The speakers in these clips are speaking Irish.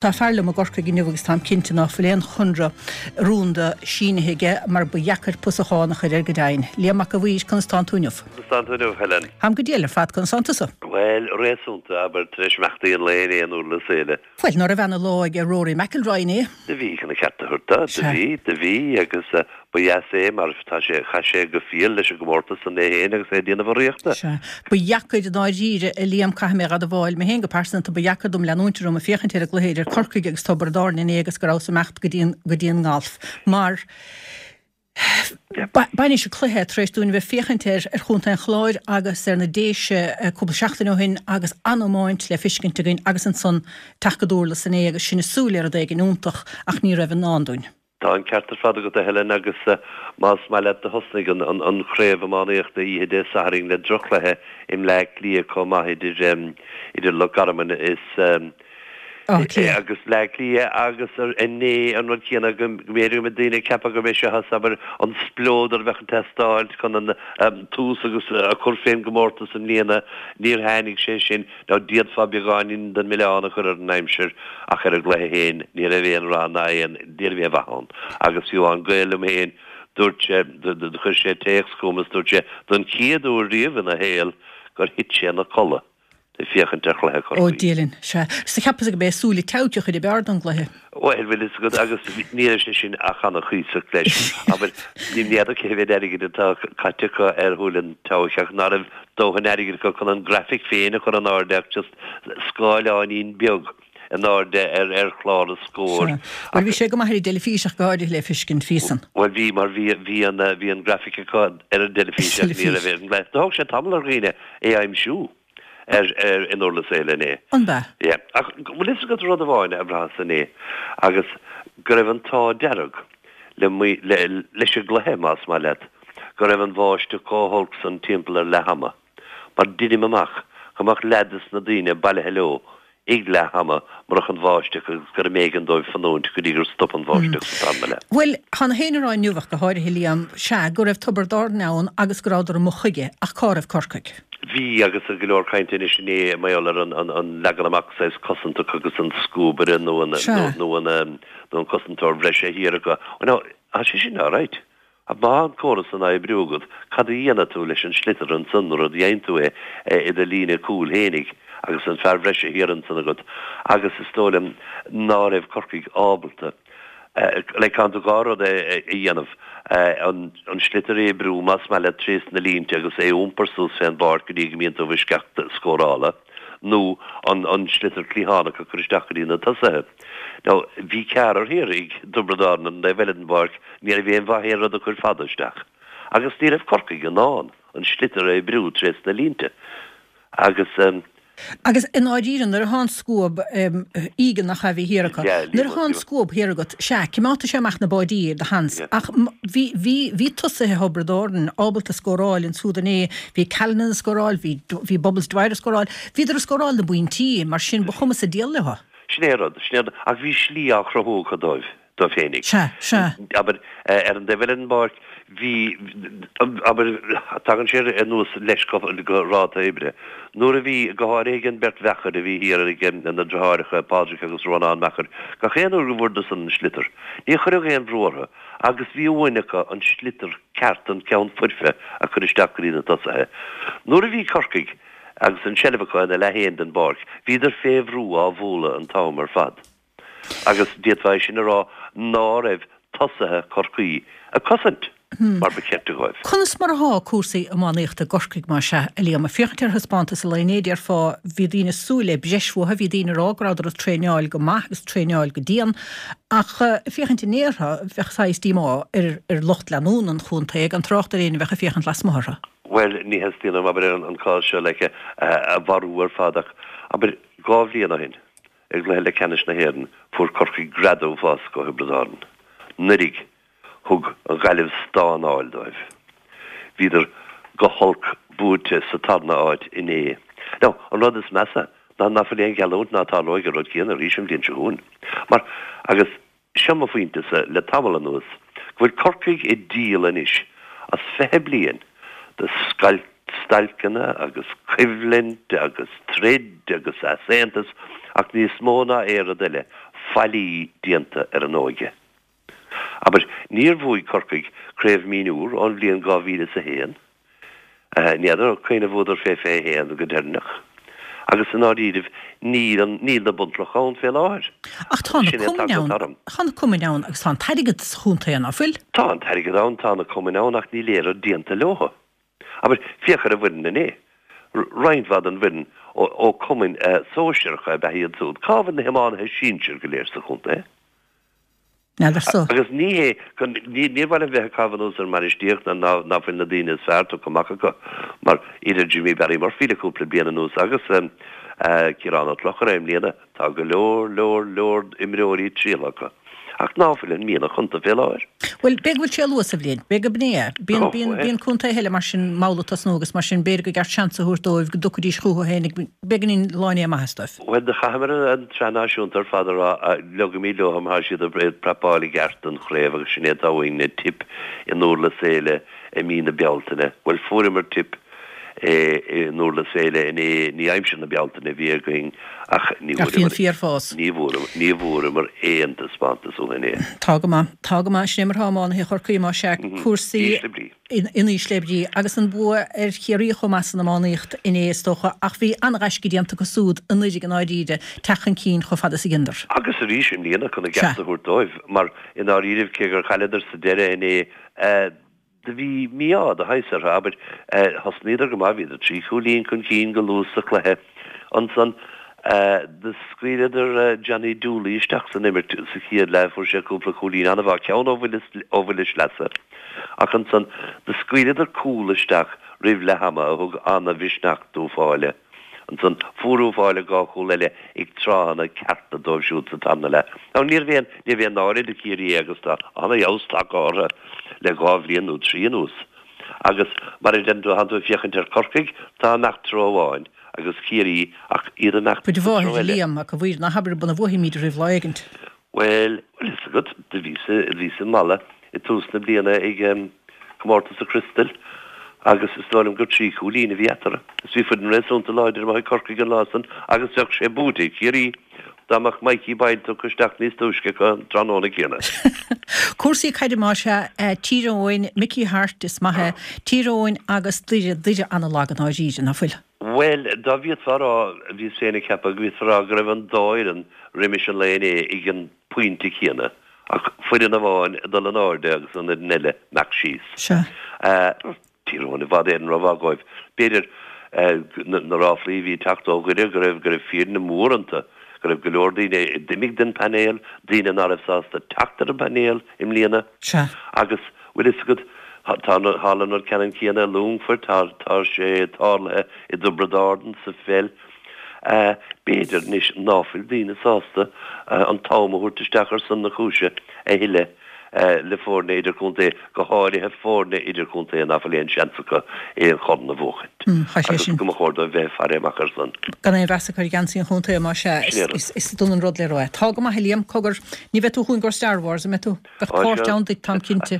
Tá fear liom i gCorcaigh inniu agus táim cinnte ná fuil aon chonradh rúnda sínithe aige mar ba dheacair pusachán a chur air go deimhin. Liam Mac a' Mhaoir, conas tánn tú inniu? Conas tánn tú inniu, Helen? Táim go diail ar fad, conas tánn tusa? Bhuel, réasúnta, abair, tar éis imeachtaí an lae inné in Durlas Éile. Bhuel, ná raibh ana lá aige Rory McIlroy inné? Do bhí, chun an cheart a thabhairt dó, do bhí, do bhí, agus Ba dheas é mar tá sé, chaith sé go fial leis an gcomórtas san é féin agus é ag déanamh urraíochta. Sea. Ba dheacair i ndáiríre, a Liam, caithfidh mé a admháil, mé féin go pearsanta, ba dheacair dom leanúint orm ag féachaint ar an gcluiche idir Corcaigh agus Tiobraid Árann inné agus go rabhas ag imeacht go dtí an, go dtí an ngalf. Mar, bainis an cluiche tar éis dúinn a bheith ag féachaint air ar Chontae an Chláir agus ar na Déise cúpla seachtain ó shin agus an-iomáint le fiscint againn agus ansan teacht go Durlas inné agus sinn ag súil le rud éigin iontach ach ní raibh i ndán dúinn. Tá an ceart ar fad agat, a Helen, agus más maith leat do thosnaigh an chraobh iománaíochta oíche Dé Sathairn le drochchluiche i mBleá Cliath chomh maith idir idir Loch Garman is Áth Cliath. agus Bleá Cliath agus inné an rud céanna go mb'fhéidir go mbeidh daoine ag ceapadh gurb é seo abair an spleodar a bheadh ag teastáilt chun an tús agus a chur fén gcomórtas i mbliana. Níor tháinig sé sin. Now d'fhéadfá beagáinín den milleán a chur ar an aimsir ach ar an gcluiche féin ní raibh aon rath ná aon, ní raibh aon mhaith ann. Agus fiú amháin gaol liom féin, dúirt sé, chuir sé téacs chugam is dúirt sé don chéad uair riamh ina shaol gur thit sé ina codladh ag féachaint ar chluiche Ó Chorcaí. Dia linn, sea. Is do cheapas gurb é Súile Tseabhaic an chuid ab fhearr den gcluiche. Bhuel, bhfuil fhios agat, agus ní raibh sé sin ach ana-chuíosach leis. Abair, ní fheadar cé mhéad airgid atá caite acu ar Shúil an tSeabhaic ach ná raibh dóthain airgid acu chun an grafaic féin a chur in airde ach just scáileáinín beag in airde ar ar chlár an scóir. Sea. Bhuel, bhí sé go maith ar an dteilifís ach go háirithe le fiscint, bhí san. Bhuel, bhí, mar bhí, bhí an, bhí an grafaic acu ar an dteilifís ach ní raibh ar an gclár. Thóg sé tamall ar dhaoine é a aimsiú ar, ar, in Durlas Éile inné. An b'ea? Yeah. Ach bhfuil fhios agat rud amháin a bhraitheas inné agus go raibh an t-ádh dearg le, le, leis an gcluiche, más maith leat, go raibh an bháisteach chomh holc san timpeall ar leath ama, mar deinim amach go mbeadh leath des na daoine bailithe leo ag leath ama murach an bháisteach agus gur mb'éigean dóibh fanúint go dtí gur stop an bháisteach sa tarna leath. Bhuel, tá na héinne a rá inniu ach go háirithe, Liam, sea, go raibh Tiobraid Árann ann agus go rabhadar amuigh chuige, ach cá raibh Corcaigh? Bhí, agus go leor cainte anois inné mar gheall ar an leagan amach saghas cosantach agus an scuabaire nó an nó an nó an cosantóir bhreise thiar acu. Now, tá sé sin alright. Ach má tá an córas san á oibriú agat, cad a dhéanfaidh tú leis an sliotar ansan nuair a dhéanann tú é i do líne cúil fhéinig agus an fear bhreise thiar ansan agat agus is dóigh liom ná raibh Corcaigh ábalta like caithfidh tú dhá rud a dhéanamh, an sliotar a oibriú más maith leat trés na línte agus é a iompar suas fén bpáirc go dtí go mbíonn tú i bhfoisceacht scórála nó an sliotar cliathánach a chur isteach go dtí na tosaithe. Now, bhí ceathrar thiar ag Tiobraid Árann ar an dtaobh eile den bpáirc, ní raibh aon mhaith aon rud a chur fada isteach. Agus ní raibh Corcaigh in ann an sliotar a oibriú trés na línte. Agus. Agus i ndáiríre, nuair atá an scuab, Egan nach ea a bhí thiar acu, nuair atá an scuab thiar agat, sea, cimeádfaidh sé amach na báidí ar do sheans, ach bhí, bhí, bhí tosaithe Thiobraid Árann ábalta scóráil ansúd inné, bhí Callanan ag scóráil, bhí, bhí Bubbles Dwyer ag scóráil, bhíodar ag scóráil na bpointí, mar sin ba chuma sa diabhal leo. Sin é an rud, sin é an rud. Ach bhí slí á chruthú acu dóibh, dóibh féinig. Sea, sea. Abair, ar an dtaobh eile den bpáirc, bhí, abair, tagann sé anuas leis go ráta oibre. Nuair a bhí, go háirithe ag an beirt Mheachair a bhí thiar ag na deartháireacha, Pádraig agus Rónán Meachair, gach aon uair go bhfuaireadar san an sliotar, ní chuirfeadh aon bhrú orthu agus bhí uain acu an sliotar ceart, an ceann foirfe a chur isteach go dtí na tosaithe. Nuair a bhí Corcaigh, Agus an tseilbh acu ina leath féin den bpáirc, bhíodar fé bhrú á bhualadh an t-am ar fad. Agus d'fhéadfá é sin a rá ná raibh tosaithe Chorcaí ag cosaint mar ba cheart dóibh. Conas mar athá cúrsaí iománaíochta i gCorcaigh más ea, a Liam? Ag féachaint ar thaispeántas an lae inné, déarfá, bhí daoine ag súil le breis uathu, bhí daoine ag rá go rabhadar ag traenáil go maith agus traenáil go dian, ach ag féachaint inné orthu, bheadh saghas díomá ar ar lucht leanúna an chontae, gan trácht ar éinne a bheadh ag féachaint lasmuigh orthu. Bhuel, ní theastaíonn uaim, abair, an cás seo like a mharú ar fad ach, abair, 2 bhliain ó shin, i gcluiche leathcheannais na hÉireann, fuair Corcaigh greadadh uafásach ó Thiobraid Árann. Anuraidh, thug an Ghaillimh stánáil dóibh. Bhíodar go holc buaite sa tarna áit inné. Now, an rud is measa ná ná fuil aon gheallúint ná tarlóidh an rud céanna arís an bhliain seo chugainn. Mar, agus. Seo mo phointe-sa le tamall anuas, go bhfuil Corcaigh ag díol anois as 20 bliain de stailceanna agus coimhlint agus troid agus easaontas ach níos mó ná aon rud eile, faillí déanta ar an óige. Abair, níor bhuaigh Corcaigh Craobh Mionúr ón bhliain 2001. Ní fheadar cathain a bhuadar fé 21 go deireanach. Agus i ndáiríribh, níl an, níl na bunchlocha ann fé láthair. Ach tá na cumainn ann, tá na cumainn ann agus tá an t-airgead sa chontae, ná fuil? Tá an t-airgead ann, tá na cumainn ann ach níl aon rud déanta leo. Abair, féach ar an bhfoireann inné. Roinnt mhaith den bhfoireann ó cumainn sóisearacha ab ea iad siúd. Cá bhfuil na hiománaithe sinsir go léir sa chontae? N'fheadar-sa. Agus ní hé, níor mhaith liom bheith ag caitheamh anuas ar an mbainistíocht ná ná fuil na daoine is fearr tugtha amach acu, mar idir Jimmy Barry Murphy le cúpla bliain anuas agus Ciarán Ó Clochaire i mbliana, tá go leor, leor, leor imreoirí trialtha acu. Ach ná fuil an mianach iontu fé láthair. Bhuel, b'fhéidir go bhfuil sé luath sa bhliain. B'fhéidir go b'in é. Bíonn, bíonn, bíonn contaetha eile mar sin mall ag tosnú agus mar sin b'fhéidir gur ceart seans a thabhairt dóibh go dtiocfaidís chucu féin ag beagáinín lá i ndiaidh maitheas dóibh. Bhuel, do chaitheamar an tsraith náisiúnta ar fad ag rá, leogaimid leo má tá siad ag prapáil i gceart don chraobh agus sin é atá uainn, Tip i nDurlas Éile i mí na Bealtaine. Bhuel, fuaireamar Tip i nDurlas Éile inné, ní aimsir na Bealtaine a bhí againn ach ní Ach bhí an fíorfhás. ní bhfuaireamar, ní bhfuaireamar aon taispeántas uathu inné. Tá go maith. Tá go maith. Sin é mar atá iománaithe Chorcaí, más ea, cúrsaí. Ísle brí. in ísle brí, agus an bua ar Chiarraí chomh maith san iománaíocht inné is dócha, ach bhí an-ghaisce déanta acu súd anuraidh i ndáiríre, teacht chun cinn chomh fada is a dheineadar. Agus arís i mbliana chun a gceart a thabhairt dóibh, mar i ndáiríribh cé gur chailleadar sa deireadh inné, do bhí mí-ádh de shaghas orthu, abair, thosnaíodar go maith, bhíodar 3 chúilín chun cinn go luath sa chluiche, ansan do scaoileadar Johnny Dooley isteach san imirt sa chéad leath, fuair sé cúpla cúilín an-mhaith, ceann ó bhuille sleasa. Ach ansan, do scaoileadar cúl isteach roimh leath ama a thug ana-mhisneach d'Uíbh Fhailí. Ansan, fuair Uíbh Fhailí 2 chúl eile ag tráthanna cearta dóibh siúd sa tarna leath. Now, níorbh aon, níorbh aon náire do Chiarraí é agus tá ana-fheabhas tagtha orthu le 2 bhliain nó 3 anuas. Agus, mar a deireann tú, thánn tú ag féachaint ar Chorcaigh, tá ag imeacht treo amháin, agus Ciarraí, ach iad ag imeacht sa treo eile. Cuid mhaith, Liam, ach a mhuire, ná habair bun a bhuafaimid oraibh lá éigint. Bhuel, bhfuil fhios agat, do bhíos, bhíos i Mala i dtús na bliana ag comórtas an Chriostal agus is dóigh liom gur 3 chúilín a bhí eatarthu. Is bhí foireann réasúnta láidir amuigh ag Corcaigh an lá san agus bheadh sé buaite ag Ciarraí dá mbeadh Mikey Boyle tugtha isteach níos túisce acu an tráthnóna céanna. Cúrsaí caide más ea, Tír Eoghain, Mickey Harte, is maith é, Tír Eoghain agus Doire, Doire ana-lag i ndáiríre, ná fuil? Bhuel, dá bhféadfá a rá, bhíos féin ag ceapadh go bhféadfá a rá go raibh an dá fhoireann roimis an lae inné ag an pointe céanna, ach foireann amháin ag dul in airde agus an fhoireann eile ag imeacht síos. Sea. Tír Eoghain i bhfad Éireann rómhaith dhóibh. B'fhéidir, na ráflaí a bhí ag teacht ó Dhoire go raibh, go raibh fírinne mhór iontu, go raibh go leor daoine a d'imigh den phainéal, daoine ná raibh sásta teacht ar an bpainéal i mbliana. Sea. Agus, bhfuil fhios agat, tá, tharla an rud ceannann céanna i Longfort, tá, tá sé tarlaithe i dTiobraid Árann sa pheil. B'fhéidir anois ná fuil daoine sásta an t-am a thabhairt isteach ar son na cúise a thuilleadh le foirne idirchontae, go háirithe foirne idirchontae ná fuil aon seans acu aon chorn a bhuachaint. Agus go mba chóir dóibh bheith ag faire amach ar san. Gan aon mheas acu ar gheansaí an chontae, más ea, is dona an rud le rá é. Tá go maith, a Liam, cogar, ní bheidh tú chugainn i gcomhair Star Wars, an mbeidh tú? Bheadh páirt ann duit, táim cinnte.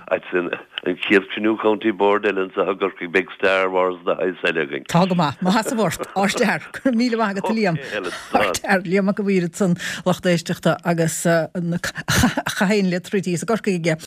An chéad chruinniú County Board eile anseo i gCorcaigh beidh Star Wars de shaghas eile againn. Tá go maith. Mo sheasamh ort. Ardfhear. Go raibh míle maith agat, a Liam. Ardfhear. Liam Mac an Mhaoir ansan, lucht éisteachta agus a chaidéan le troid thíos i gCorcaigh aige.